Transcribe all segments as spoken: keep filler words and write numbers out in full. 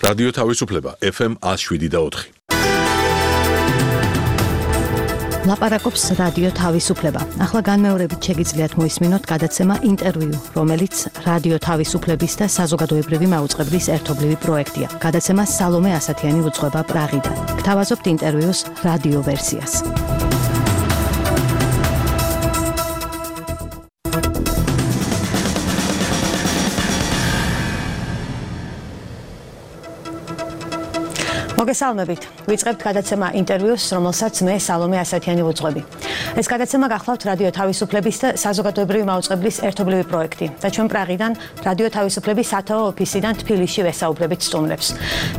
რადიო თავისუფლება ეფ ემ one oh seven და four. ლაპარაკობს რადიო თავისუფლება. ახლა განმეორებით შეგიძლიათ მოისმინოთ გადაცემა ინტერვიუ, რომელიც რადიო თავისუფლების და საზოგადოებრივი მაუწყებლის ერთობლივი პროექტია. გადაცემა სალომე ასათიანი უძღვება პრაღიდან. გთავაზობთ ინტერვიუს რადიო ვერსიას. მოგესალმებით. ვიწყებთ გადაცემა ინტერვიუს, რომელსაც მე სალომე ასათიანი ვუძღვები. ეს გადაცემა გახლავთ რადიო თავისუფლების და საზოგადოებრივი მაუწყებლის ერთობლივი პროექტი და ჩვენ პრაღიდან რადიო თავისუფლების სათაო ოფისიდან თბილისში ვესაუბრებით სტუმრებს.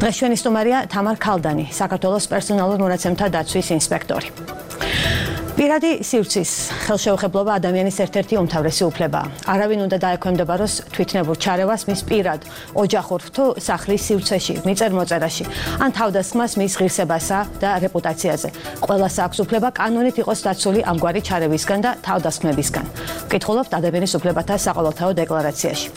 დღეს ჩვენი სტუმარია თამარ ქალდანი, საქართველოს პერსონალურ მონაცემთა დაცვის ინსპექტორი. პირადი სივრცის ხელშეუხებლობა ადამიანის ერთ-ერთი უმთავრესი უფლებაა. არავინ უნდა დაექვემდებაროს თვითნებურ ჩარევას მის პირად, ოჯახურ თუ სახლის სივრცეში, მიწერ-მოწერაში, ან თავდასხმას მის ღირსებასა და რეპუტაციაზე. ყველას აქვს უფლება კანონით იყოს დაცული ამგვარი ჩარევისგან და თავდასხმებისგან. ვკითხულობთ ადამიანის უფლებათა საყოველთაო დეკლარაციაში.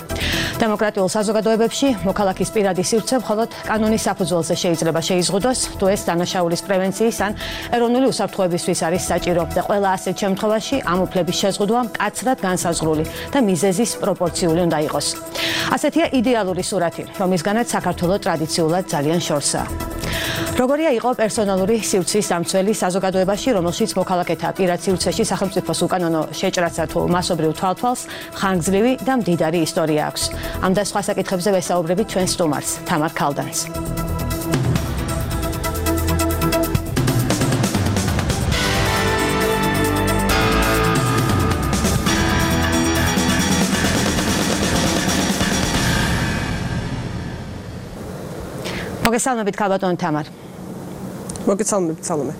დემოკრატიულ საზოგადოებებში მოქალაქის პირადი სივრცე მხოლოდ კანონის საფუძველზე შეიძლება შეიზღუდოს, თუ ეს დანაშაულის პრევენციის ან ეროვნული უსაფრთხოებისთვის არის საჭირო. და ყველა ასეთ შემთხვევაში ამ უფლების შეზღუდვა მკაცრად განსაზღვრული და მიზეზის პროპორციული უნდა იყოს. ასეთია იდეალური სურათი, რომლისგანაც საქართველოს ტრადიციულად ძალიან შორსაა. როგორია იყო პერსონალური სივრცის დამცველი საზოგადოებაში, რომელშიც მოქალაქეთა პირად სივრცეში სახელმწიფოს უკანონო შეჭრაცა თუ მასობრივ თვალთვალს ხანგრძლივი და მდიდარი ისტორია აქვს. ამ და სხვა საკითხებზე ვესაუბრებით ჩვენ სტუმარს, თამარ ქალდანს. მოგესალმებით ქალბატონ თამარ. მოგესალმებით სალომე.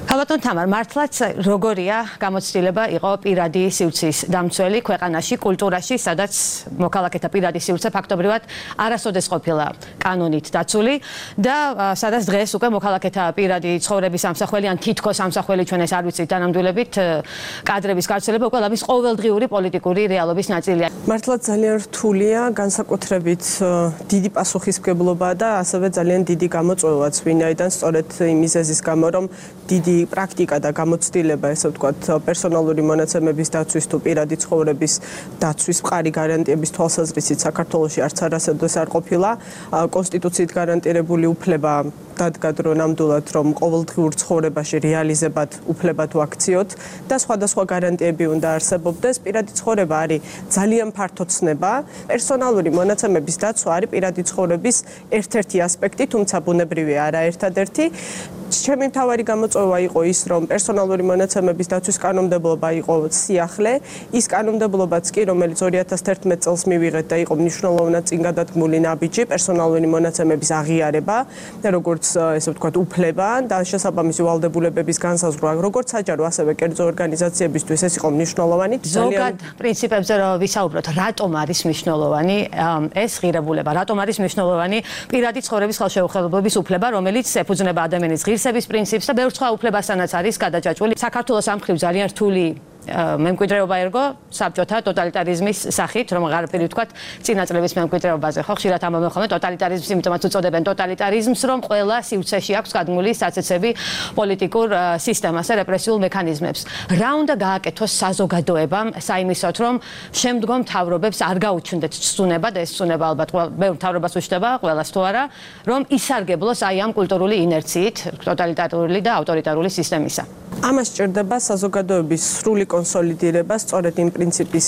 ქალბატონ თამარ, მართლაც როგორია გამოცდილება იყო პირადი სივრცის დამცველი ქვეყანაში, კულტურაში, სადაც მოქალაქეთა პირადი სივრცე ფაქტობრივად არასოდეს ყოფილა კანონით დაცული და სადაც დღეს უკვე მოქალაქეთა პირადი ცხოვრების ამსახველი ან თითქოს ამსახველი ჩვენ ეს არ ვიცით დანამდვილებით კადრების გავრცელება უკვე ლამის ყოველდღიური პოლიტიკური რეალობის ნაწილია. მართლაც ძალიან რთულია, განსაკუთრებით დიდი პასუხისმგებლობა და ასევე ძალიან დიდი გამოწვევაც, ვინაიდან სწორედ იმ მიზეზის გამო, რომ დიდი პრაქტიკა და გამოცდილება, ესე ვთქვათ, პერსონალური მონაცემების დაცვის თუ პირადი ცხოვრების დაცვის მყარი გარანტიების თვალსაზრისით საქართველოში არც არასოდეს არ ყოფილა. კონსტიტუციით გარანტირებული უფლება დადგა დრო ნამდვილად, რომ ყოველდღიურ ცხოვრებაში რეალიზებად უფლება თუ აქციოთ და სხვადასხვა გარანტიები უნდა არსებობდეს. პირადი ცხოვრება არის ძალიან ფართო ცნება. პერსონალური მონაცემების დაცვა არის პირადი ცხოვრების ერთ-ერთი ასპექტი, თუმცა ბუნებრივი არა ერთადერთი. ჩემი მთავარი გამოწვევა იყო ის, რომ პერსონალური მონაცემების დაცვის კანონმდებლობა იყო სიახლე, ის კანონმდებლობაც კი, რომელიც ორი ათას თერთმეტ წელს მივიღეთ და იყო მნიშვნელოვნად წინ გადადგმული ნაბიჯი პერსონალური მონაცემების აღიარება, როგორც ესე ვთქვათ, უფლება და შესაბამისი ვალდებულებების განსაზღვრა, როგორც საჯარო, ასევე კერძო ორგანიზაციებისთვის ეს იყო მნიშვნელოვანი. ზოგად პრინციპებზე რომ ვისაუბროთ, რატომ არის მნიშვნელოვანი ეს ღირებულება, რატომ არის მნიშვნელოვანი პირადი ცხოვრების ხელშეუხებლობის უფლება, რომელიც ეფუძნება ადამიანის ღირსების პრინციპს და ბევრ სხვა უფლებასთანაც არის გადაჭაჭული. საქართველოს ამ მხრივ ძალიან რთული მემკვიდრეობა ერგო საბჭოთა ტოტალიტარიზმის სახით, რომ აღარაფერი ვთქვათ, წინა წლების მემკვიდრეობაზე, ხო, ხშირად ამბობენ ხოლმე ტოტალიტარიზმს, იმიტომაც უწოდებენ ტოტალიტარიზმს, რომ ყველა სივრცეში აქვს გადმული საცეცები პოლიტიკურ სისტემას და რეპრესიულ მექანიზმებს. რა უნდა გააკეთოს საზოგადოებამ საიმისოთ, რომ შემდგომ მთავრობებს არ გაუჩნდეთ ცუნება და ეს ცუნება ალბათ ბევრ მთავრობას უშდება, ყველას თუ არა, რომ ისარგებლოს აი ამ კულტურული ინერციით ტოტალიტარული და ავტორიტარული სისტემისა. ამას სჭირდება საზოგადოების სრული კონსოლიდირება სწორედ იმ პრინციპის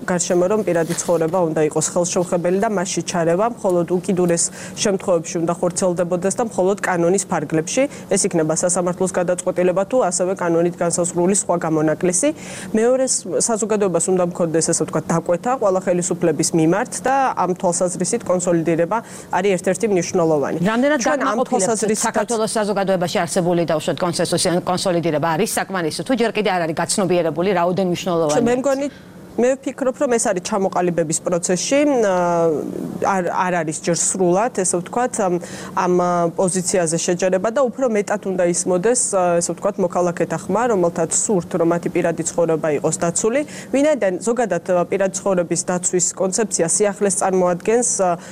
გარშემო, რომ პირადი ცხოვრება უნდა იყოს ხელშეუხებელი და მასში ჩარევა მხოლოდ უკიდურეს შემთხვევებში უნდა ხორციელდებოდეს და მხოლოდ კანონის ფარგლებში. ეს იქნება სასამართლოს გადაწყვეტილება თუ ასევე კანონით განსაზღვრული სხვა გამონაკლისი. მეორე, საზოგადოებას უნდა მქონდეს, ესე ვთქვათ, დაკვეთა ყველა ხელისუფლების მიმართ და ამ თვალსაზრისით კონსოლიდირება არის ერთ-ერთი მნიშვნელოვანი. რამდენად განმაყოფილებთ საქართველოს საზოგადოებაში არსებული და უშუალოდ კონსენსუსი კონსოლიდირება არის საკმარისი თუ ჯერ კიდე არ არის გაცნობიერებული რაოდენ მნიშვნელოვანია. მე მგონი მე ვფიქრობ, რომ ეს არის ჩამოყალიბების პროცესში, არ არ არის ჯერ სრულად, ესე ვთქვათ, ამ პოზიციაზე შეჯერება და უფრო მეტად უნდა ისმოდეს, ესე ვთქვათ, მოქალაქეთა ხმა, რომელთაც სურთ, რომ მათი პირადი ცხოვრება იყოს დაცული. ვინაიდან ზოგადად პირადი ცხოვრების დაცვის კონცეფცია სიახლეს წარმოადგენს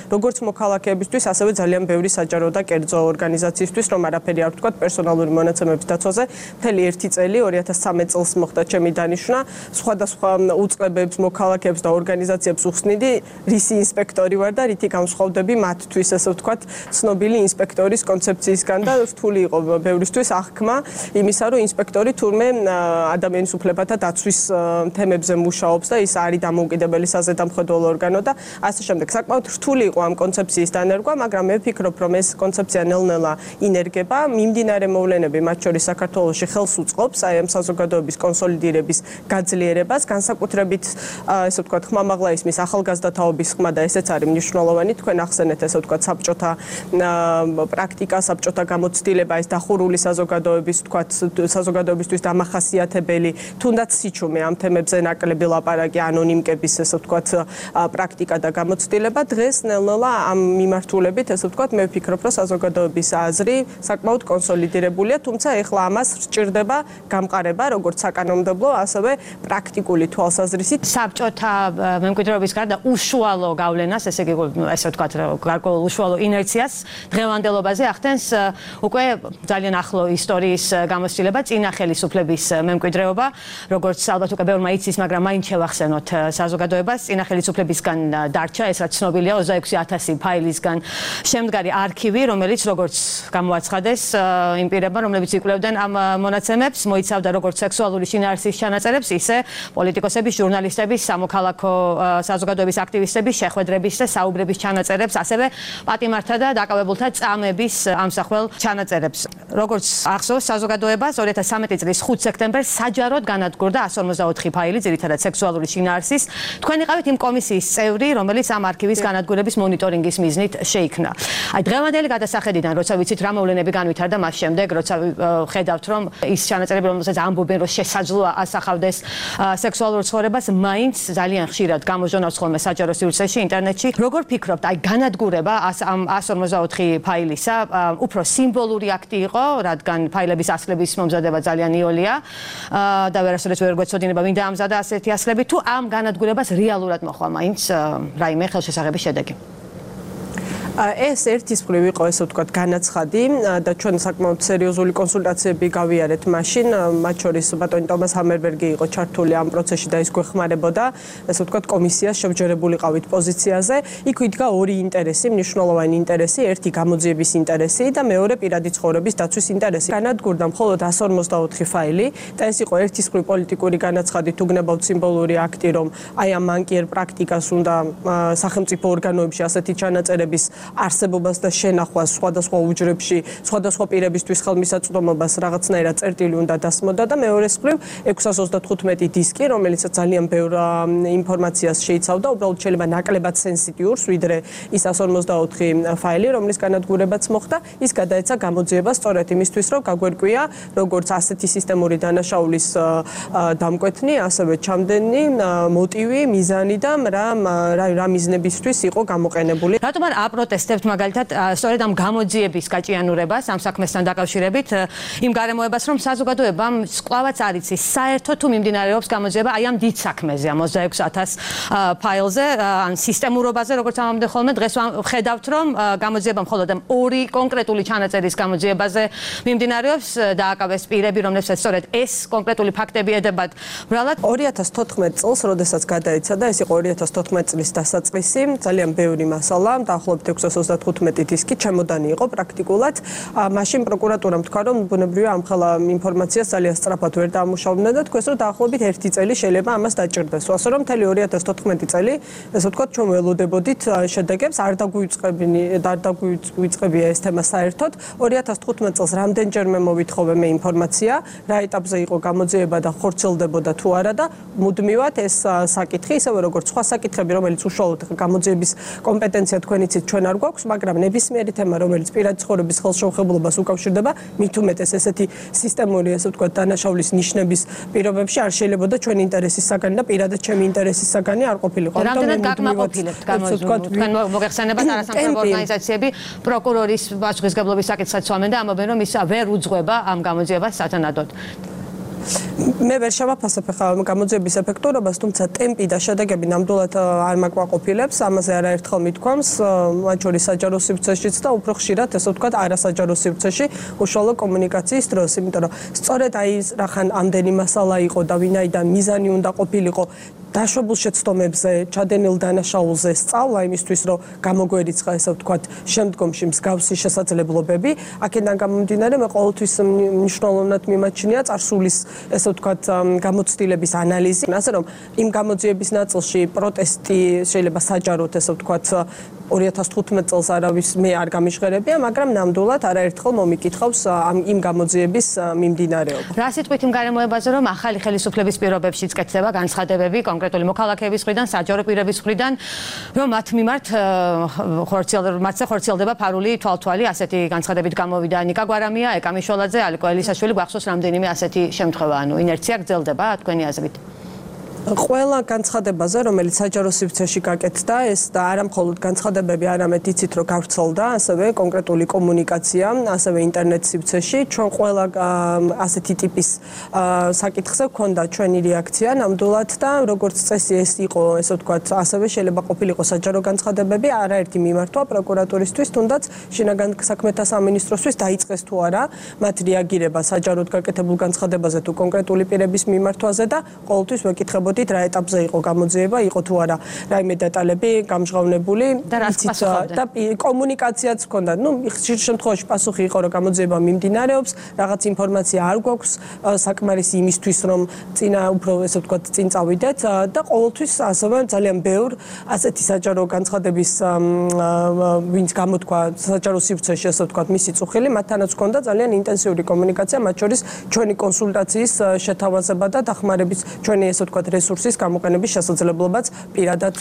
როგორც მოქალაქეებისთვის, ასევე ძალიან ბევრი საჯარო და კერძო ორგანიზაციისთვის, რომ არაფერი არ ვთქვათ პერსონალური მონაცემების დაცვაზე. მთელი ერთი წელი ორი ათას ცხრამეტ წელს მოხდა ჩემი დანიშვნა, სხვადასხვა უწყებებს, მოქალაქეებს და ორგანიზაციებს უხსნიდი, რისი ინსპექტორი ვარ და რითი განსხვავდები მათთვის, ესე ვთქვათ, ცნობილი ინსპექტორის კონცეფციისგან და რთული იყო ბევრისთვის აღქმა იმისა, რომ ინსპექტორი თურმე ადამიანის უფლებათა დაცვის თემებზე მუშაობს და ის არის დამოუკიდებელი საზედამხედველო ორგანო და ასე შემდეგ. საკმაოდ რთული იყო ამ კონცეფციის დანერგვა, მაგრამ მე ვფიქრობ, რომ ეს კონცეფცია ნელ-ნელა ინერგება, მიმდინარე მოვლენები, მათ შორის საქართველოში ხელს უწყობს აი ამ საზოგადოების კონსოლიდირების გაძლიერებას, განსაკუთრებით ესე ვთქვათ, ხმამაღლა ისმის ახალგაზრდათაობის ხმა და ესეც არის მნიშვნელოვანი. თქვენ ახსენეთ ესე ვთქვათ, საბჭოთა პრაქტიკა, საბჭოთა გამოცდილება, ეს დახურული საზოგადოების ვთქვათ, საზოგადოებისთვის დამახასიათებელი, თუნდაც სიჩუმე ამ თემებზე ნაკლები ლაპარაკი, ანონიმკების ესე ვთქვათ, პრაქტიკა და გამოცდილება დღეს ნელ-ნელა ამ მიმართულებით ესე ვთქვათ, მე ვფიქრობ, რომ საზოგადოების აზრი საკმაოდ კონსოლიდირებულია, თუმცა ეხლა ამას სჭირდება გამყარება, როგორც საკანონმდებლო, ასევე პრაქტიკული თვალსაზრისით. საბჭოთა მემკვიდრეობის გარდა უშუალო გავლენას, ესე იგი, ესე ვთქვათ, გარკვეულ უშუალო ინერციას დღევანდელობაზე ახდენს უკვე ძალიან ახლო ისტორიის გამოცდილება წინა ხელისუფლების მემკვიდრეობა, როგორც ალბათ უკვე ბევრმა იცის, მაგრამ მაინც შევახსენოთ საზოგადოებას, წინა ხელისუფლებისგან დარჩა, ეს რაც ცნობილია ოცდაექვსი ათასი ფაილისგან შემდგარი არქივი, რომელიც როგორც გამოაცხადეს იმ პირებმა, რომლებიც იკვლევდნენ ამ მონაცემებს, მოიცავდა როგორც სექსუალური შინაარსის ჩანაწერებს, ისე პოლიტიკოსების, ჟურნალისტების, სამოქალაქო საზოგადოების აქტივისტების შეხვედრების და საუბრების ჩანაწერებს, ასევე პატიმართა და დაკავებულთა წამების ამსახველ ჩანაწერებს. როგორც ახსოვს საზოგადოებას, ორი ათას ცხრამეტი წლის ხუთი სექტემბერს საჯაროდ განადგურდა εκατს ორმოცდაოთხი ფაილი, ძირითადად სექსუალური შინაარსის. თქვენ იყავით იმ კომისიის წევრი, რომელიც ამ არქივის განადგურების მონიტორინგის მიზნით შეიქმნა. აი დღევანდელი გადასახედიდან, როცა ვიცით რა მოვლენები განვითარდა მას შემდეგ, როცა ხედავთ, რომ ის ჩანაწერები, რომელსაც ამბობენ, რომ შესაძლოა ასახავდეს სექსუალურ ცხოვრებას, მაინც ძალიან ხშირად გამოჟონავს ხოლმე საჯარო სივრცეში, ინტერნეტში. როგორ ფიქრობთ, აი განადგურება ამ εκατს ორმოცდაოთხი ფაილისა უფრო სიმბოლური აქტი იყო, რადგან ფაილების ასლების მომზადება ძალიან იოლია და ვერასოდეს ვერ გვეცოდინება, ვინ დაამზადა ასეთი ასლები, თუ ამ განადგურებას რეალურად მოხდა მაინც რაიმე ხელშესაღების შედეგი. ეს ერთის მხრივ იყო ესე ვთქვათ განაცხადი და ჩვენ საკმაოდ სერიოზული კონსულტაციები გავიარეთ მაშინ, მათ შორის ბატონი ტომას ჰამერბერგი იყო ჩართული ამ პროცესში და ის გვეხმარებოდა, ესე ვთქვათ კომისიას შემჯერებულიყავით პოზიციაზე. იქ იდგა ორი ინტერესი, მნიშვნელოვანი ინტერესი, ერთი გამოძიების ინტერესი და მეორე პირადი ცხოვრების დაცვის ინტერესი. განადგურდა მხოლოდ εκατს ორმოცდაოთხი ფაილი და ეს იყო ერთის მხრივ პოლიტიკური განაცხადი, თუ გნებავთ სიმბოლური აქტი, რომ აი ამ მანკიერ პრაქტიკას უნდა სახელმწიფო ორგანოებში ასეთი ჩანაწერების არსებობას და შენახვას სხვადასხვა უჯრებში, სხვადასხვა პირებისთვის ხელმისაწვდომობას რაღაცნაირად წერტილი უნდა დასმოდა და მეორეს მხრივ ექვსას ოცდათხუთმეტი დისკი, რომელიც ძალიან ბევრ ინფორმაციას შეიცავდა, უბრალოდ შეიძლება ნაკლებად სენსიტიურს, ვიდრე ის εκατს ორმოცდაოთხი ფაილი, რომლის განადგურებაც მოხდა, ის გადაეცა გამოძიებას სწორედ იმისთვის, რომ გაგვერკვია, როგორც ასეთი სისტემური დანაშაულის დამკვეთნი, ასევე ჩამდენი მოტივი, მიზანი და რა რა მიზნებისთვის იყო გამოყენებული. რატომ არ აპროტესტებთ მაგალითად სწორედ ამ გამოძიების გაჭიანურებას ამ საქმესთან დაკავშირებით, იმ გარემოებას, რომ საზოგადოებამ სკვლავაც არ იცის, საერთოდ თუ მიმდინარეობს გამოძიება აი ამ დიდ საქმეზე, ამ ოცდაექვსი ათას ფაილზე, ან სისტემურობაზე, როგორც ამამდე ხოლმე დღეს ხედავთ, რომ გამოძიება მხოლოდ ამ ორი კონკრეტული ჩანაწერის გამოძიებაზე მიმდინარეობს, დააკავეს პირები, რომლებსაც სწორედ ეს კონკრეტული ფაქტები ედებათ. ბრალად ორი ათას თოთხმეტ წელს, როდესაც გადაეცა, ეს იყო ორი ათას თოთხმეტ წლის დასაწყისი, ძალიან ბევრი მასალა, დაახლოებით ექვსას ოცდათხუთმეტი დისკი ჩემოდანი იყო პრაქტიკულად. მაშინ პროკურატურამ თქვა, რომ ბუნებრივია ამ ხელა ინფორმაციას ძალიან სწრაფად ვერ დაამუშავებდნენ და თქვეს, რომ დაახლოებით ერთი წელი შეიძლება ამას დაჭირდეს. ასე რომ მთელი ორი ათას თოთხმეტი წელი, ესე ვთქვათ, ჩვენ ველოდებოდით შედეგებს, არ დაგვიწყებინი, არ დაგვიწყებია ეს თემა საერთოდ. ორი ათას თხუთმეტ წელს რამდენჯერმე მოვითხოვე მე ინფორმაცია, რა ეტაპზე იყო გამოძიება და ხორციელდებოდა თუ არა და მუდმივად ეს საკითხი, ისევე როგორც სხვა საკითხები, რომელიც უშუალოდ გამოძიების კომპეტენცია თქვენ იცით, ჩვენ არ არ გვაქვს, მაგრამ ნებისმიერი თემა, რომელიც პირადი ცხოვრების ხელშეუხებლობას უკავშირდება, მით უმეტეს ესეთი სისტემური, ასე ვთქვათ, დანაშაულის ნიშნების პირობებში არ შეიძლება და ჩვენი ინტერესის საგანი და პირადად ჩემი ინტერესის საგანი არ ყოფილიყო. რამდენად გაკმაყოფილებთ გამოძიებთ თქვენ მოგეხსენებათ არასამთავრობო ორგანიზაციები პროკურორის პასუხისგებლობის საკითხსაც სვამენ და ამბობენ რომ ის ვერ უძღვება ამ გამოძიებას სათანადოდ. მე ვერ შევაფასებ ხა გამოძიების ეფექტურობას, თუმცა ტემპი და შედეგები ნამდვილად არ მაკმაყოფილებს, ამაზე არაერთხელ მithქვამს, მათ შორის საჯარო სივრცეშიც და უფრო ხშირად, ესე ვთქვათ, არასაჯარო სივრცეში უშუალო კომუნიკაციის დროს, იმიტომ რომ სწორედ აი რახან ამდენი მასალა იყო და ვინაიდან მიზანი უნდა ყოფილიყო დაშვებულ შეცდომებზე, ჩადენილ დანაშაულზე სწავლა იმისთვის, რომ გამოგვერიცხა, ესე ვთქვათ, შემდგომში მსგავსი შესაძლებლობები, აქედან გამომდინარე, მე ყოველთვის მნიშვნელოვნად მიმაჩნია წარსულის, ესე ვთქვათ, გამოცდილების ანალიზი, ასე რომ იმ გამოძიების ნაწილში პროტესტი შეიძლება საჯაროდ, ესე ვთქვათ, ორი ათას თხუთმეტ წელს არავის მე არ გამიჟღერებია, მაგრამ ნამდვილად არაერთხელ მომიკითხავს ამ იმ გამოძიების მიმდინარეობა. რა სიტყვით იმ გარემოებაზე, რომ ახალი ხელისუფლების პირობებშიც კეთდება განცხადებები კონკრეტული მოქალაქეების მხრიდან, საჯარო პირების მხრიდან, რომ მათ მიმართ მათზე ხორციელდება ფარული თვალთვალი, ასეთი განცხადებით გამოვიდა ნიკა გვარამია, ეკა მიშველაძე, ალიკო ელისაშვილი, გვახსოვს რამდენიმე ასეთი შემთხვევა, ანუ ინერცია გრძელდება თქვენი აზრით. ყველა განცხადებაზე, რომელიც საჯარო სივრცეში გაკეთდა, ეს და არა მხოლოდ განცხადებები, არამედ იცით, რომ გავრცელდა, ასევე კონკრეტული კომუნიკაცია, ასევე ინტერნეტ სივრცეში, ჩვენ ყველა ასეთი ტიპის საკითხზე გვქონდა ჩვენი რეაქცია, ნამდვილად და როგორც წესი ეს იყო, ესე ვთქვათ, ასევე შეიძლება ყოფილიყო საჯარო განცხადებები, არაერთი მიმართვა პროკურატურისთვის, თუნდაც შინაგან საქმეთა სამინისტროსთვის დაიწყეს თუ არა მათ რეაგირება საჯაროდ გაკეთებულ განცხადებაზე თუ კონკრეტული პირების მიმართვაზე და ყოველთვის ვეკითხებოდი რა ეტაპზე იყო გამოძიება, იყო თუ არა რაიმე დეტალები გამჟღავნებული და კომუნიკაციაც ჰქონდა. ნუ ხშირ შემთხვევაში პასუხი იყო, რომ გამოძიება მიმდინარეობს, რაღაც ინფორმაცია არ გვაქვს საკმარისი იმისთვის, რომ წინა უფრო ესე ვთქვათ, წინ წავიდეთ და ყოველთვის ასევე ძალიან ბევრ ასეთი საჯარო განცხადების ვინც გამოთქვა საჯარო სივრცეში, ესე ვთქვათ, მისი წუხილი, მათთანაც ჰქონდა ძალიან ინტენსიური კომუნიკაცია, მათ შორის ჩვენი კონსულტაციის შეთავაზება და დახმარების ჩვენი ესე ვთქვათ რესურსის გამოყენების შესაძლებლობაც პირადად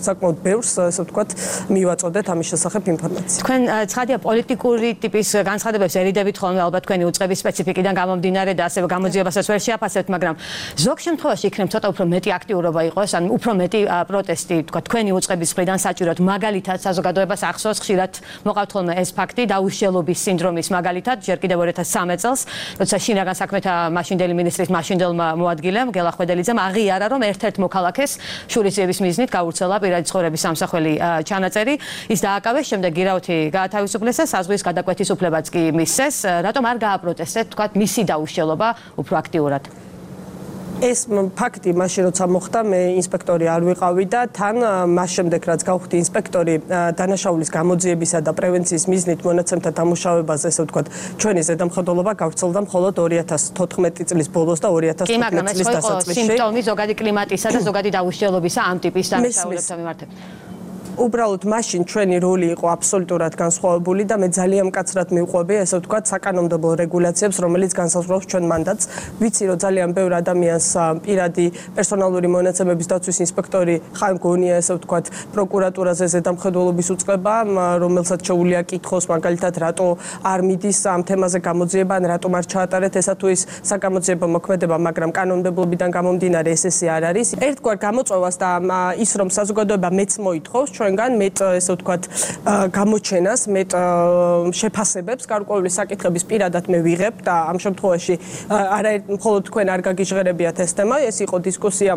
საკმაოდ ბევრს, ასე ვთქვათ, მივაწოდეთ ამის შესახებ ინფორმაცია. თქვენ ცხადია პოლიტიკური ტიპის განცხადებებს ერიდებით ხოლმე ალბათ თქვენი უწყების სპეციფიკიდან გამომდინარე და ასევე გამოძიებასაც ვერ შეაფასებთ, მაგრამ ზოგ შემთხვევაში იქნებ ცოტა უფრო მეტი აქტიურობა იყოს, ან უფრო მეტი პროტესტი, თქვა თქვენი უწყების მხრიდან საჭიროთ, მაგალითად საზოგადოებას ახსოვს ხშირად მოყავთ ხოლმე ეს ფაქტი დაუშლილობის სინდრომის მაგალითად, ჯერ კიდევ ორი ათას სამი წელს, როცა შინაგან საქმეთა მაშინდელი მინისტრის მაშინდელმა მოადგილემ გელა ხვედელიძემ აღიარა რომ ერთ-ერთ მოქალაქეს შურისძიების მიზნით გაურცელა პირადი ცხოვრების სამსახველი ჩანაწერი, ის დააკავეს, შემდეგ გირაოთი გაათავისუფლეს და საზღვის გადაკვეთის უფლებაც კი მისცეს, რატომ არ გააპროტესტეთ, თქვა მისი დაუშლილობა უფრო აქტიურად? ეს ფაქტი მაშინ როცა მოხდა, მე ინსპექტორი არ ვიყავი და თან მას შემდეგ რაც გავხდი ინსპექტორი დანაშაულის გამოძიებისა და პრევენციის მიზნით მონაცემთა დამუშავებაზე, ესე ვთქვათ, ჩვენი ზედამხედველობა გავრცელდა მხოლოდ ორი ათას თოთხმეტი წლის ბოლოს და ორი ათას თხუთმეტი წლის დასაწყისში. სიმპტომი ზოგადი კლიმატისა და ზოგადი დაუშლილობისა ამ ტიპის დანაშაულებთან მიმართებით. უბრალოდ მაშინ ჩვენი როლი იყო აბსოლუტურად განსხვავებული და მე ძალიან მკაცრად მივყვები, ესე ვთქვათ, საკანონმდებლო რეგულაციებს, რომელიც განსაზღვრავს ჩვენ მანდატს. ვიცი, რომ ძალიან ბევრ ადამიანს პირადი პერსონალური მონაცემების დაცვის ინსპექტორი ხან გონია, ესე ვთქვათ, პროკურატურაზე ზედამხედველობის უწყება, რომელსაც შეუძლია კითხოს, მაგალითად, რატო არ მიდის ამ თემაზე გამოძიება, ან რატომ არ ჩაატარეთ ესა თუ ის საკამოძიებო მოქმედება, მაგრამ კანონმდებლობიდან გამომდინარე ეს ესე არ არის. ერთგვარ გამოწვევას და ის რომ საზოგადოება მეც მოითხოვს ჩვენგან მეტ ესე ვთქვათ გამოჩენას, მეტ შეფასებებს, გარკვეული საკითხების პირადად მე ვიღებ და ამ შემთხვევაში არა მხოლოდ თქვენ არ გაგიჟღერებიათ ეს თემა, ეს იყო დისკუსია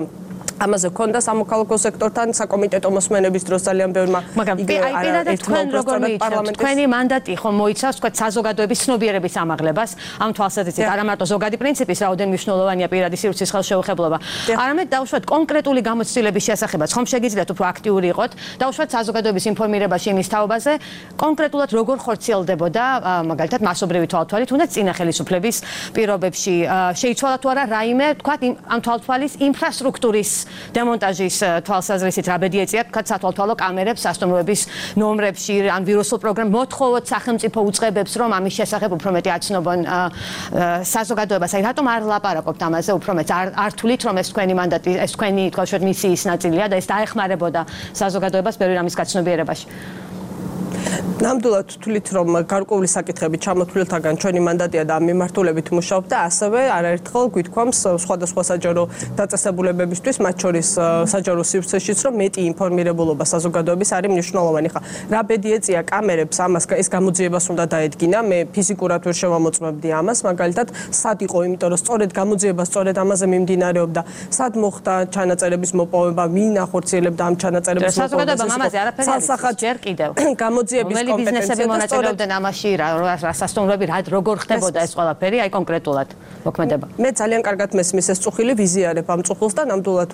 ამაზე ქონდა სამოქალაქო სექტორთან საკომიტეტო მოსმენების დროს ძალიან ბევრმა მაგრამ აი პირადად თქვენ როგორ მიიცავთ თქვენი მანდატი ხომ მოიცავს თქვა საზოგადოების ცნობიერების ამაღლებას ამ თვალსაზრისით არა მარტო ზოგადი პრინციპის რაოდენ მნიშვნელოვანია პირადი სივრცის ხელშეუხებლობა არამედ დაუშვათ კონკრეტული გამოცდილების შესახებაც ხომ შეგიძლიათ უფრო აქტიური იყოთ დაუშვათ საზოგადოების ინფორმირებაში იმის თაობაზე კონკრეტულად როგორ ხორციელდებოდა მაგალითად მასობრივი თვალთვალი თუნდაც წინა ხელისუფლების პირობებში შეიცვალა თუ არა რაიმე თქვა ამ თვალთვალის ინფრასტრუქტურის დემონტაჟის თვალსაზრისით რა ბედი ეწია თქვა სათვალთვალო კამერებს სასტუმროების ნომრებში ან ვირუსულ პროგრამ მოთხოვოთ სახელმწიფო უწყებებს რომ ამის შესახებ უფრო მეტი აცნობონ საზოგადოებას აი რატომ არ ლაპარაკობთ ამაზე უფრო მეტ არ თulit რომ ეს თქვენი მანდატი ეს თქვენი თქვა შუა მისიის ნაწილია და ეს დაეხმარებოდა საზოგადოებას ბევრი რამის გაცნობიერებაში ნამდვილად თვლით, რომ გარკვეული საკითხები ჩამოთვლილთაგან ჩვენი მანდატია და ამ მიმართულებით მუშაობთ და ასევე არაერთხელ გვითქვამს სხვადასხვა საჯარო დაწესებულებებისთვის, მათ შორის საჯარო სივრცეშიც, რომ მეტი ინფორმირებულობა საზოგადოების არის მნიშვნელოვანი. ხა რა ბედი ეწია კამერებს, ამას ეს გამოძიებას უნდა დაედგინა. მე ფიზიკურად ვერ შევამოწმებდი ამას, მაგალითად, სად იყო, იმიტომ რომ სწორედ გამოძიება სწორედ ამაზე მიმდინარეობდა, სად მოხდა ჩანაწერების მოპოვება, ვინ ახორციელებდა ამ ჩანაწერების მოპოვებას. საზოგადოებამ ამაზე არაფერი არ იცის ჯერ კიდევ. გამოძიების ბიზნესები მონაწილეობდნენ ამაში, რა სასტუმროები, რა როგორ ხდებოდა ეს ყველაფერი, აი კონკრეტულად მოქმედება. მე ძალიან კარგად მესმის ეს წუხილი ვიზიარებ ამ წუხილს და ნამდვილად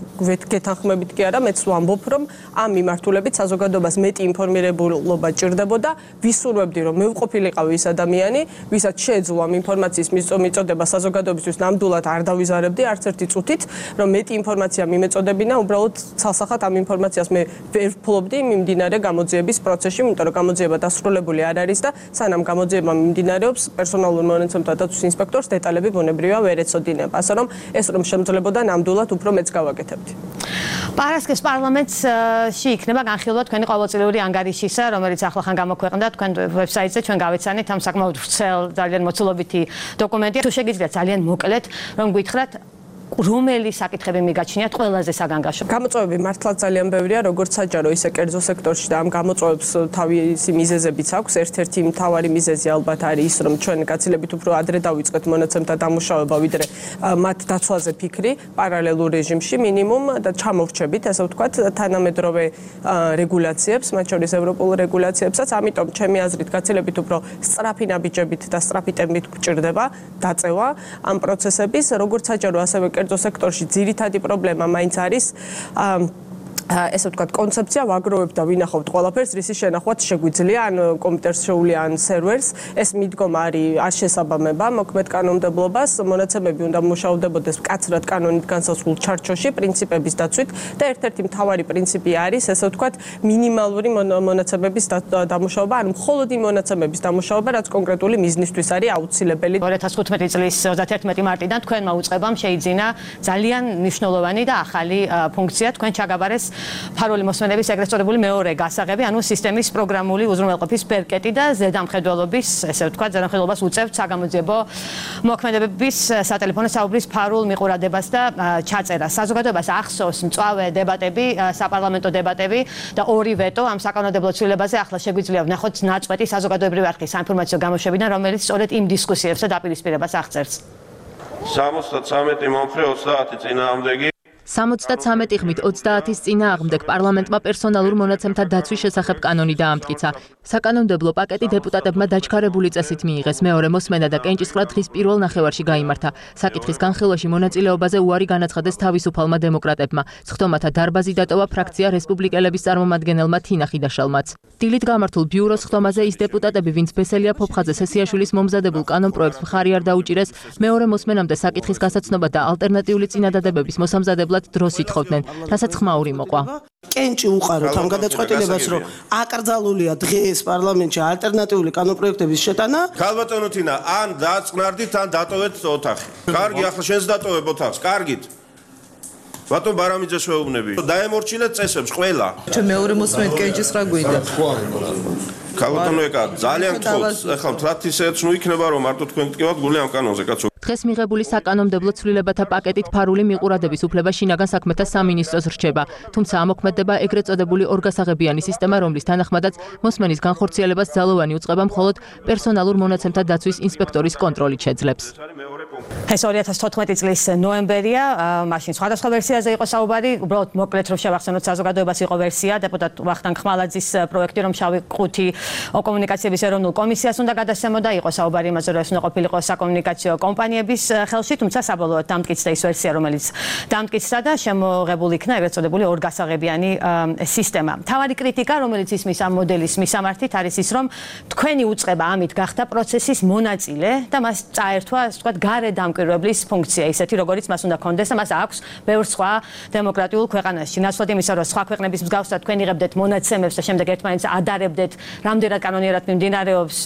გეთანხმებით კი არა, მეც ვამბობ, რომ ამ მიმართულებით საზოგადოებას მეტი ინფორმირებულობა ჭირდებოდა. ვისურვებდი, რომ მეუყოფილიყავი ის ადამიანი, ვისაც შეეძლო ამ ინფორმაციის მიწოდება საზოგადოებისთვის, ნამდვილად არ დავიზარებდი არც ერთი წუთით, რომ მეტი ინფორმაცია მიმეწოდებინა, უბრალოდ ცალსახად ამ ინფორმაციას მე ვერ ვფლობდი მიმდინარე გამოძიების პროცესში, იმიტომ რომ გამოძიება დასრულებული არ არის და სანამ გამოძიება მიმდინარეობს, პერსონალურ მონაცემთა დაცვის ინსპექტორს დეტალები ბუნებრივია ვერ ეცოდინება. ასე რომ ეს რომ შემძლეობოდა ნამდვილად უფრო მეც გავაკეთებდი. პარასკევს პარლამენტში იქნება განხილვა თქვენი ყოველწლიური ანგარიშისა, რომელიც ახლახან გამოქვეყნდა თქვენ ვებსაიტზე, ჩვენ გავეცანით ამ საკმაოდ ვრცელ, ძალიან მოცულობითი დოკუმენტია. თუ შეგიძლიათ ძალიან მოკლედ რომ გითხრათ რომელი საკითხები მიგაჩნიათ ყველაზე საგანგაშო? გამოწვევები მართლაც ძალიან ბევრია, როგორც საჯარო, ისე კერძო სექტორში და ამ გამოწვევებს თავისი მიზეზებიც აქვს. ერთ-ერთი მთავარი მიზეზი ალბათ არის ის, რომ ჩვენ გაცილებით უფრო ადრე დავიწყეთ მონაცემთა დამუშავება, ვიდრე მათ დაცვაზე ფიქრი, პარალელურ რეჟიმში მინიმუმ და ჩამოვრჩებით, ასე ვთქვათ, თანამედროვე რეგულაციებს, მათ შორის ევროპულ რეგულაციებსაც. ამიტომ ჩემი აზრით გაცილებით უფრო სწრაფი ნაბიჯებით და სწრაფი ტემპით გვჭირდება დაწევა ამ პროცესების, როგორც საჯარო, ასევე კერძო სექტორში ძირითადი პრობლემა მაინც არის ესე ვთქვათ, კონცეფცია ვაგროვებ და ვინახავთ ყველაფერს, რისი შენახვაც შეგვიძლია, ან კომპიუტერს შეუვლია, ან სერვერს. ეს მიდგომა არის არ შესაბამება მოქმედ კანონმდებლობას, მონაცემები უნდა მუშავდებოდეს მკაცრად კანონით განსაზღვრულ ჩარჩოში, პრინციპების დაცვით და ერთ-ერთი მთავარი პრინციპი არის, ესე ვთქვათ, მინიმალური მონაცემების დამუშავება, ან მხოლოდ იმ მონაცემების დამუშავება, რაც კონკრეტული მიზნისთვის არის აუცილებელი. ორი ათას თხუთმეტი წლის ოცდაათი მარტიდან თქვენმა უწყებამ შეიძინა ძალიან მნიშვნელოვანი და ახალი ფუნქცია, თქვენ ჩაგაბარეს ფარული მოსმენების ეგრეთ წოდებული მეორე გასაღები, ანუ სისტემის პროგრამული უზრუნველყოფის პერკეტი და ზედამხედველობის, ესე ვთქვათ, ზედამხედველობას უწევთ საგამოძიებო მოქმედებების სატელეფონო საუბრის ფარულ მიყურადებას და ჩაწერას. საზოგადოებას ახსოვს მწვავე დებატები, საპარლამენტო დებატები და ორი ვეტო ამ საკანონმდებლო ცვლილებაზე. ახლა შეგვიძლია ვნახოთ ნაწყვეტი საზოგადოებრივი არხის საინფორმაციო გამოშვებიდან, რომელიც სწორედ იმ დისკუსიებს და დაპირისპირებას აღწერს. სამოცდათრამეტი მომხრე ოცდაათი წინააღმდეგი სამოცდათრამეტი ხმით ოცდაათის წინააღმდეგ პარლამენტმა პერსონალურ მონაცემთა დაცვის შესახებ კანონი დაამტკიცა. საკანონმდებლო პაკეტი დეპუტატებმა დაჩქარებული წესით მიიღეს. მეორე მოსმენა და კენჭისყრა დღის პირველ ნახევარში გაიმართა. საკითხის განხილვაში მონაწილეობაზე უარი განაცხადეს თავისუფალმა დემოკრატებმა. სხდომათა დარბაზი დატოვა ფრაქცია რესპუბლიკელების წარმომადგენელმა თინა ხიდაშალმაც. დილით გამართულ ბიუროს სხდომაზე ის დეპუტატები, ვინც ბესელია ფოფხაძე სესიაშვილის მომზადებულ კანონპროექტს მხარი არ დაუჭირეს, მეორე მოსმენამდე საკითხის გასაცნობა და ალტერნატიული წინადადებების მოსამზადებლად დროს ითხოვდნენ, რასაც ხმაური მოყვა. კენჭი უყაროთ ამ გადაწყვეტილებას, რომ აკრძალულია დღეს პარლამენტში ალტერნატიული კანონპროექტების შეტანა. ქალბატონო თინა, ან დაწყნარდით, ან დატოვეთ ოთახი. კარგი, ახლა შენს დატოვებ ოთახს, კარგით. ბატონ ბარამიძეს ვეუბნები. დაემორჩილეთ წესებს ყველა. ჩვენ მეორე მოსმენით კენჭისყრა გვინდა. ქალბატონო ეკა, ძალიან გთხოვთ, ახლა მთლად ისეც ნუ იქნება, რომ მარტო თქვენ გტკივათ გული ამ კანონზე, კაცო. დღეს მიღებული საკანონმდებლო ცვლილებათა პაკეტით ფარული მიყურადების უფლება შინაგან საქმეთა სამინისტროს რჩება. თუმცა ამოქმედება ეგრეთ წოდებული ორგასაღებიანი სისტემა, რომლის თანახმადაც მოსმენის განხორციელებას ძალოვანი უწყება მხოლოდ პერსონალურ მონაცემთა დაცვის ინსპექტორის კონტროლით შეძლებს. ეს ორი ათას თოთხმეტი წლის ნოემბერია, მაშინ სხვადასხვა ვერსიაზე იყო საუბარი, უბრალოდ მოკლედ რომ შევახსენოთ საზოგადოებას იყო ვერსია დეპუტატ ვახტანგ ხმალაძის პროექტი, რომ შავი ყუთი კომუნიკაციების ეროვნულ კომისიას უნდა გადასცემოდა, იყო საუბარი იმაზე, რომ ეს უნდა ყოფილიყო საკომუნიკაციო კომპანიების ხელში, თუმცა საბოლოოდ დამტკიცდა ის ვერსია, რომელიც დამტკიცდა და შემოღებული იქნა ეგრეთ წოდებული ორგასაღებიანი სისტემა. მთავარი კრიტიკა, რომელიც ისმის ამ მოდელის მისამართით, არის ის, რომ თქვენი უწყება ამით გახდა პროცესის მონაწილე და მას წაერთვა, ასე ვთქვათ, გარე დამკვირვებლის ფუნქცია, ისეთი როგორიც მას უნდა კონდეს და მას აქვს ბევრ სხვა დემოკრატიულ ქვეყანაში. ნაცვლად იმისა, რომ სხვა ქვეყნების მსგავსად თქვენ იღებდეთ მონაცემებს და შემდეგ ერთმანეთს ადარებდეთ, რამდენად კანონიერად მიმდინარეობს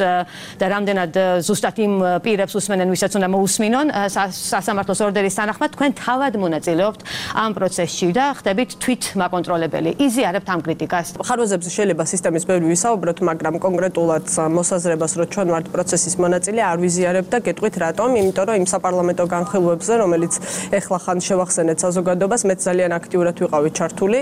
და რამდენად ზუსტად იმ პირებს უსმენენ, ვისაც უნდა მოუსმენონ გусმინონ სასამართლოს ორდერის თანახმად თქვენ თავად მონაწილეობთ ამ პროცესში და ხდებით თვით მაკონტროლებელი. იზიარებთ ამ კრიტიკას. ხარვეზებზე შეიძლება სისტემის ბევრი ვისაუბროთ, მაგრამ კონკრეტულად მოსაზრებას, რომ ჩვენ ვართ პროცესის მონაწილე, არ ვიზიარებთ და გეტყვით რატომ? იმიტომ რომ იმ საპარლამენტო განხილვებზე, რომელიც ეხლა ხან შევახსენეთ საზოგადოებას, მეც ძალიან აქტიურად ვიყავი ჩართული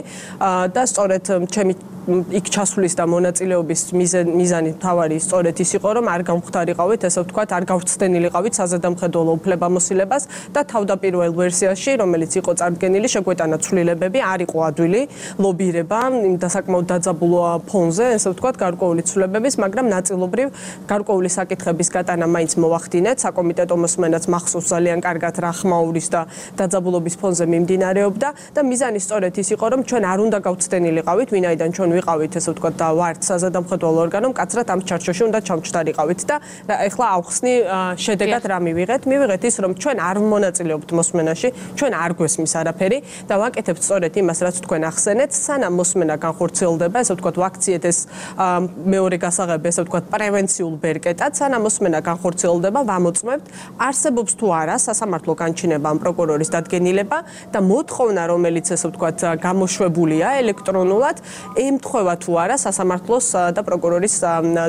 და სწორედ ჩემი იქ ჩასვლის და მონაწილეობის მიზანი თავარი სწორედ ის იყო, რომ არ გამختარიყავით, ესე ვთქვათ, არ გავხსნილიყავით საზედამხედველო უფლებამოსილებას და თავდაპირველ ვერსიაში, რომელიც იყო წარდგენილი, შეგვეტანა ცვლილებები, არ იყო ადვილი ლობირება იმ დასაკმაოდ დაძაბულო ფონზე, ესე ვთქვათ, გარკვეული ცვლილებების, მაგრამ ნაწილობრივ გარკვეული საკითხების გატანა მაინც მოვახდინეთ, საკომიტეტო მოსმენაც მახსოვს ძალიან კარგად რა ხმაურის და დაძაბულობის ფონზე მიმდინარეობდა და მიზანი სწორედ ის იყო, რომ ჩვენ არ უნდა გავხსნილიყავით, ვინაიდან ჩვენ ვიყავით, ესე ვთქვათ, და ვართ საზედამხედველო ორგანო, მკაცრად ამ ჩარჩოში უნდა ჩამჩნდარიყავით და ეხლა ავხსნი შედეგად რა მივიღეთ? მივიღეთ ის, რომ ჩვენ არ მონაწილეობთ მოსმენაში, ჩვენ არ გვესმის არაფერი და ვაკეთებთ სწორედ იმას, რაც თქვენ ახსენეთ, სანამ მოსმენა განხორციელდება, ესე ვთქვათ, ვაქციეთ ეს მეორე გასაღები, ესე ვთქვათ, პრევენციულ ბერკეტად, სანამ მოსმენა განხორციელდება, ვამოწმებთ, არსებობს თუ არა სასამართლო განჩინება ამ პროკურორის დადგენილება და მოთხოვნა, რომელიც ესე ვთქვათ, გამოშვებულია ელექტრონულად, ემთხვევა თუ არა სასამართლოს და პროკურორის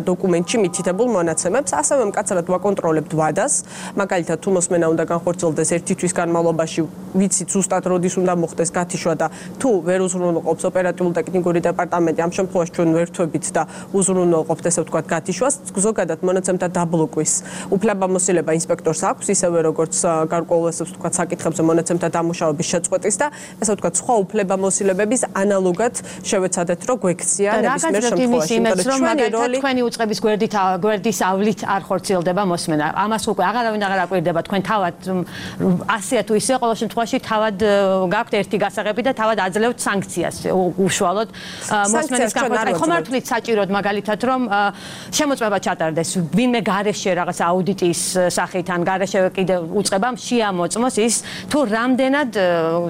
დოკუმენტში მითითებულ მონაცემებს, ასევე მკაცრად ვაკონტროლებთ ვადას, მაგალითად თუ მოსმენა უნდა განხორციელდეს ერთი თვის განმავლობაში, ვიცით ზუსტად როდის უნდა მოხდეს გათიშვა და თუ ვერ უზრუნველყოფს ოპერატიულ-ტექნიკური დეპარტამენტი, ამ შემთხვევაში ჩვენ ვერთვებით და უზრუნველყოფთ, ესე ვთქვათ, გათიშვას, ზოგადად მონაცემთა დაბლოკვის უფლებამოსილება ინსპექტორს აქვს, ისევე როგორც გარკვეულ, ესე ვთქვათ, საკითხებზე მონაცემთა დამუშავების შეწყვეტის და ესე ვთქვათ, სხვა უფლებამოსილებების ანალოგად შევეცადეთ, რომ გვექცია ნებისმიერ შემთხვევაში. რომ მაგალითად თქვენი უწყების გვერდით გვერდის ავლით არ ხორციელდება მოსმენა. ამას უკვე აღარავინ აღარ აკვირდება თქვენ თავად ასეა თუ ისე ყოველ შემთხვევაში თავად გაქვთ ერთი გასაღები და თავად აძლევთ სანქციას უშუალოდ მოსმენის განხორციელებას. ხომ არ თვლით საჭიროდ მაგალითად რომ შემოწმება ჩატარდეს ვინმე გარეშე რაღაც აუდიტის სახით ან გარეშე კიდე უწყებამ შეამოწმოს ის თუ რამდენად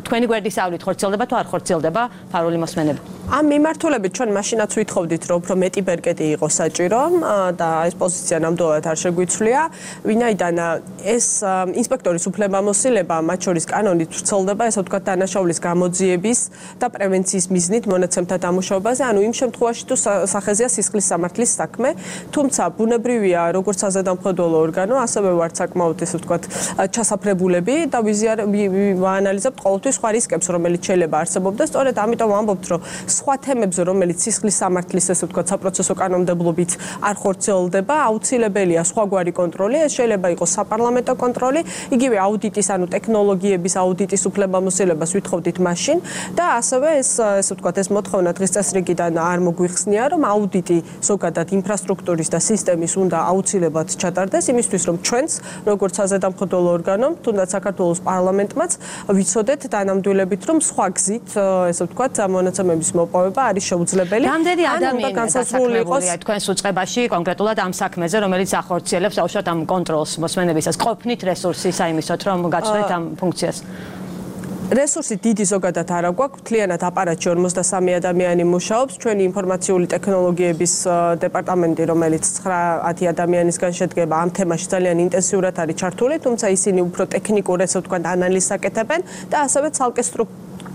თქვენი გვერდის ავლით ხორციელდება თუ არ ხორციელდება ფარული მოსმენები. ამ მიმართულებით ჩვენ მაშინაც ვითხოვდით, რომ უფრო მეტი ბერკეტი იყო საჭირო და ეს პოზიცია ნამდვილად არ შეგვიცვლია, ვინაიდან ეს ინსპექტორის უფლებამოსილება მათ შორის კანონით ვრცელდება, ესე ვთქვათ, დანაშაულის გამოძიების და პრევენციის მიზნით მონაცემთა დამუშავებაზე, ანუ იმ შემთხვევაში თუ სახეზეა სისხლის სამართლის საქმე, თუმცა ბუნებრივია, როგორც საზედამხედველო ორგანო, ასევე ვართ საკმაოდ, ესე ვთქვათ, ჩასაფრებულები და ვაანალიზებთ ყოველთვის სხვა რისკებს, რომელიც შეიძლება არსებობდეს, სწორედ ამიტომ ვამბობთ, რომ სხვა თემებზე, რომელიც სისხლის სამართლის, ესე ვთქვათ, საპროცესო კანონმდებლობით არ ხორციელდება, აუცილებელია სხვაგვარი კონტროლი, ეს შეიძლება იყოს საპარლამენტო კონტროლი, იგივე აუდიტის, ანუ ტექნოლოგიების აუდიტის უფლებამოსილებას ვითხოვდით მაშინ და ასევე ეს, ესე ვთქვათ, ეს მოთხოვნა დღის წესრიგიდან არ მოგვიხსნია, რომ აუდიტი ზოგადად ინფრასტრუქტურის და სისტემის უნდა აუცილებლად ჩატარდეს, იმისთვის, რომ ჩვენც, როგორც საზედამხედველო ორგანომ, თუნდაც საქართველოს პარლამენტმაც ვიცოდეთ დანამდვილებით, რომ სხვა გზით, ესე ვთქვათ, მონაცემების მოპოვება არის შეუძლებელი. რამდენი ადამიანი დასაქმებულია თქვენს უწყებაში კონკრეტულად ამ საქმეზე, რომელიც ახორციელებს აუშვათ ამ კონტროლს მოსმენებისას, ყოფნით რესურსი საიმისოთ, რომ გაწყვეტთ ამ ფუნქციას? რესურსი დიდი ზოგადად არ აგვაქვს, მთლიანად აპარატში ორმოცდასამი ადამიანი მუშაობს, ჩვენი ინფორმაციული ტექნოლოგიების დეპარტამენტი, რომელიც ცხრა-ათი ადამიანისგან შედგება, ამ თემაში ძალიან ინტენსიურად არის ჩართული, თუმცა ისინი უფრო ტექნიკურ, ესე ვთქვათ, ანალიზს აკეთებენ და ასევე ცალკე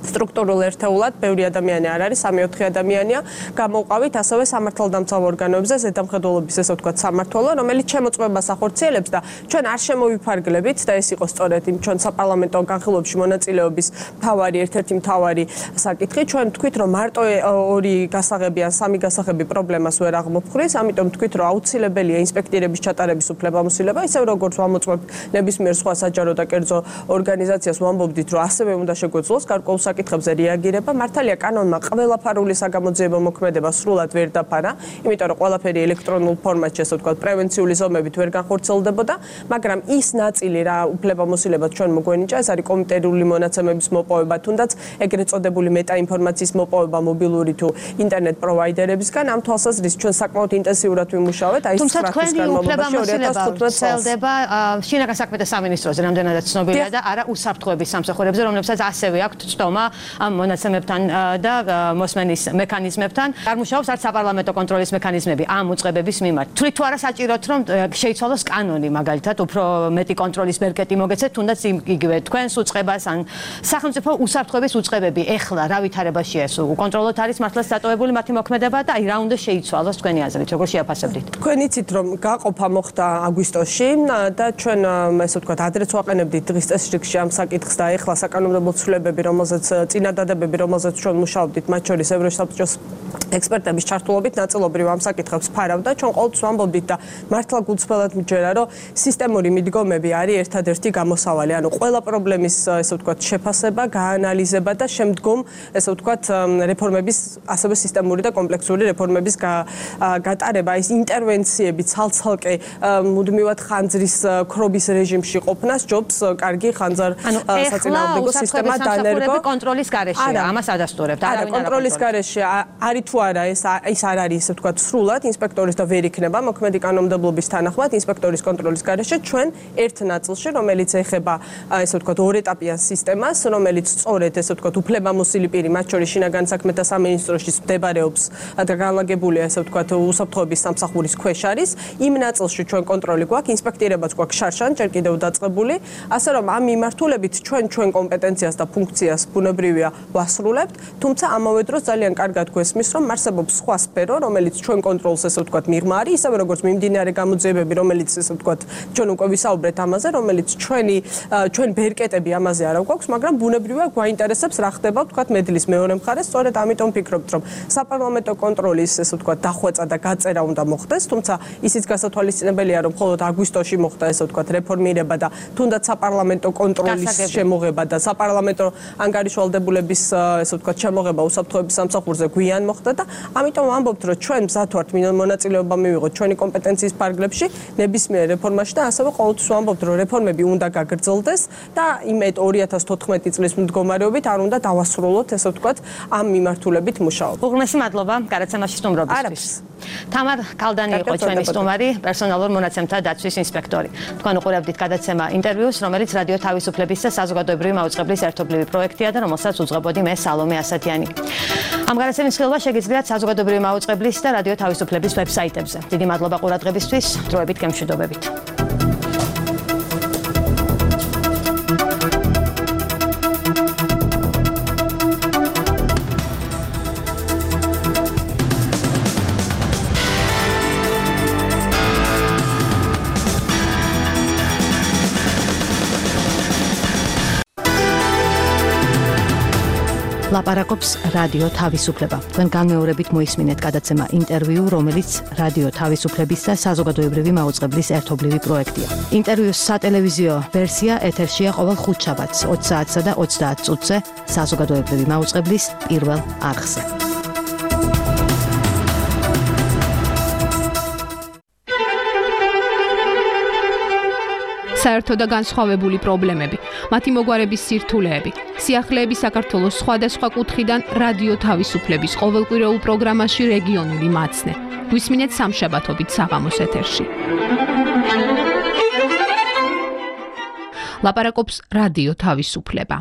სტრუქტურულ ერთეულად ბევრი ადამიანი არ არის, სამი-ოთხი ადამიანია, გამოვყავით ასევე სამართალდამცავ ორგანოებზე, ზედამხედველობის, ესე ვთქვათ, სამმართველო, რომელიც შემოწმებას ახორციელებს და ჩვენ არ შემოვიფარგლებით და ეს იყო სწორედ იმ ჩვენ საპარლამენტო განხილვებში მონაწილეობის მთავარი, ერთ-ერთი მთავარი საკითხი. ჩვენ თქვით, რომ მარტო ორი გასაღები ან სამი გასაღები პრობლემას ვერ აღმოფხრის, ამიტომ თქვით, რომ აუცილებელია ინსპექტირების ჩატარების უფლებამოსილება, ისევ როგორც ვამოწმებთ ნებისმიერ სხვა საჯარო და კერძო ორგანიზაციას, ვამბობდით, რომ ასევე უნდა შეგვეძლოს გარკვეულ საკითხებზე რეაგირება. მართალია კანონმა ყველა ფარული საგამოძიებო მოქმედება სრულად ვერ დაფარა, იმიტომ რომ ყველაფერი ელექტრონულ ფორმატში, ასე ვთქვათ, პრევენციული ზომებით ვერ განხორციელდებოდა, მაგრამ ის ნაწილი რა უფლებამოსილება ჩვენ მოგვენიჭა, ეს არის კომპიუტერული მონაცემების მოპოვება, თუნდაც ეგრეთ წოდებული მეტაინფორმაციის მოპოვება მობილური თუ ინტერნეტ პროვაიდერებისგან. ამ თვალსაზრისით ჩვენ საკმაოდ ინტენსიურად ვიმუშავეთ, აი თუმცა თქვენი უფლებამოსილება ვრცელდება შინაგან საქმეთა სამინისტროზე, რამდენადაც ცნობილია და არა უსაფრთხოების სამსახურებზე, რომლებსაც ასევე აქვთ წტომა მიღმა ამ მონაცემებთან და მოსმენის მექანიზმებთან. არ მუშაობს არც საპარლამენტო კონტროლის მექანიზმები ამ უწყებების მიმართ. თვლით თუ არა საჭიროთ რომ შეიცვალოს კანონი, მაგალითად, უფრო მეტი კონტროლის ბერკეტი მოგეცეთ, თუნდაც იგივე თქვენს უწყებას ან სახელმწიფო უსაფრთხოების უწყებები ეხლა რა ვითარებაშია ეს? უკონტროლოდ არის მართლაც დატოვებული მათი მოქმედება და აი რა უნდა შეიცვალოს თქვენი აზრით, როგორ შეაფასებდით? თქვენ იცით რომ გაყოფა მოხდა აგვისტოში და ჩვენ ესე ვთქვათ ადრეც ვაყენებდით დღის წესრიგში ამ საკითხს და ეხლა საკანონმდებლო ცვლილებები, რომელზეც წინადადებები, რომელზეც ჩვენ მუშაობდით, მათ შორის ევროსაბჭოს ექსპერტების ჩართულობით ნაწილობრივ ამ საკითხებს ფარავდა. ჩვენ ყოველთვის ვამბობდით და მართლა გულწრფელად მიჯერა, რომ სისტემური მიდგომები არის ერთადერთი გამოსავალი. ანუ ყველა პრობლემის ესე ვთქვათ შეფასება, გაანალიზება და შემდგომ ესე ვთქვათ რეფორმების, ასევე სისტემური და კომპლექსური რეფორმების გატარება, ის ინტერვენციები ცალ-ცალკე მუდმივად ხანძრის ქრობის რეჟიმში ყოფნა სჯობს კარგი ხანძარ საწინააღმდეგო სისტემა დანერგო კონტროლის გარეშეა. ამას ადასტურებთ. არა, კონტროლის გარეშე არის თუ არა ეს ის არ არის ესე ვთქვათ სრულად ინსპექტორის და ვერ იქნება მოქმედი კანონმდებლობის თანახმად ინსპექტორის კონტროლის გარეშე ჩვენ ერთ ნაწილში, რომელიც ეხება ესე ვთქვათ ორეტაპიან სისტემას, რომელიც სწორედ ესე ვთქვათ უფლებამოსილი პირი, მათ შორის შინაგან საქმეთა სამინისტროში მდებარეობს და განლაგებულია ესე ვთქვათ უსაფრთხოების სამსახურის ქვეშ არის. იმ ნაწილში ჩვენ კონტროლი გვაქვს, ინსპექტირებაც გვაქვს შარშან, ჯერ კიდევ დაწყებული, ასე რომ ამ მიმართულებით ჩვენ ჩვენ კომპეტენციას და ფუნქციას ბუნებრივია ვასრულებთ, თუმცა ამავე დროს ძალიან კარგად გვესმის, რომ არსებობს სხვა სფერო, რომელიც ჩვენ კონტროლს ესე ვთქვათ მიღმა არის, ისევე როგორც მიმდინარე გამოძიებები, რომელიც ესე ვთქვათ ჩვენ უკვე ვისაუბრეთ ამაზე, რომელიც ჩვენი ჩვენ ბერკეტები ამაზე არა გვაქვს, მაგრამ ბუნებრივია გვაინტერესებს რა ხდება ვთქვათ მედლის მეორე მხარეს, სწორედ ამიტომ ვფიქრობთ, რომ საპარლამენტო კონტროლის ესე ვთქვათ დახვეწა და გაწერა უნდა მოხდეს, თუმცა ისიც გასათვალისწინებელია, რომ მხოლოდ აგვისტოში მოხდა ესე ვთქვათ რეფორმირება და თუნდაც საპარლამენტო კონტროლის შემოღება და საპარლამენტო ანგარიშვალდებულების ესე ვთქვათ შემოღება უსაფრთხოების სამსახურზე გვიან მოხდა და ამიტომ ვამბობთ, რომ ჩვენ მზად ვართ მონაწილეობა მივიღოთ ჩვენი კომპეტენციის ფარგლებში ნებისმიერ რეფორმაში და ასევე ყოველთვის ვამბობთ, რომ რეფორმები უნდა გაგრძელდეს და იმედ ორი ათას თოთხმეტი წლის მდგომარეობით არ უნდა დავასრულოთ ესე ვთქვათ ამ მიმართულებით მუშაობა. უღრმესი მადლობა გადაცემაში სტუმრობისთვის. თამარ კალდანი იყო ჩვენი სტუმარი, პერსონალურ მონაცემთა დაცვის ინსპექტორი. თქვენ უყურებდით გადაცემა ინტერვიუს, რომელიც რადიო თავისუფლების და საზოგადოებრივი მაუწყებლის ერთობლივი პროექტია და რომელსაც უძღვებოდი მე სალომე ასათიანი. ამ გადაცემის ხილვა შეგიძლიათ საზოგადოებრივი მაუწყებლის და რადიო თავისუფლების ვებსაიტებზე. დიდი მადლობა ყურადღებისთვის, დროებით გემშვიდობებით. ლაპარაკობს რადიო თავისუფლება. თქვენ განმეორებით მოისმინეთ გადაცემა ინტერვიუ, რომელიც რადიო თავისუფლების და საზოგადოებრივი მაუწყებლის ერთობლივი პროექტია. ინტერვიუს სატელევიზიო ვერსია ეთერშია ყოველ ხუთშაბათს ოცი საათსა და ოცდაათ წუთზე საზოგადოებრივი მაუწყებლის პირველ არხზე. საერთო და განსხვავებული პრობლემები, მათი მოგვარების სირთულეები, სიახლეები საქართველოს სხვადასხვა კუთხიდან რადიო თავისუფლების ყოველკვირეულ პროგრამაში რეგიონული მაცნე. გვისმინეთ სამშაბათობით საღამოს ეთერში. ლაპარაკობს რადიო თავისუფლება.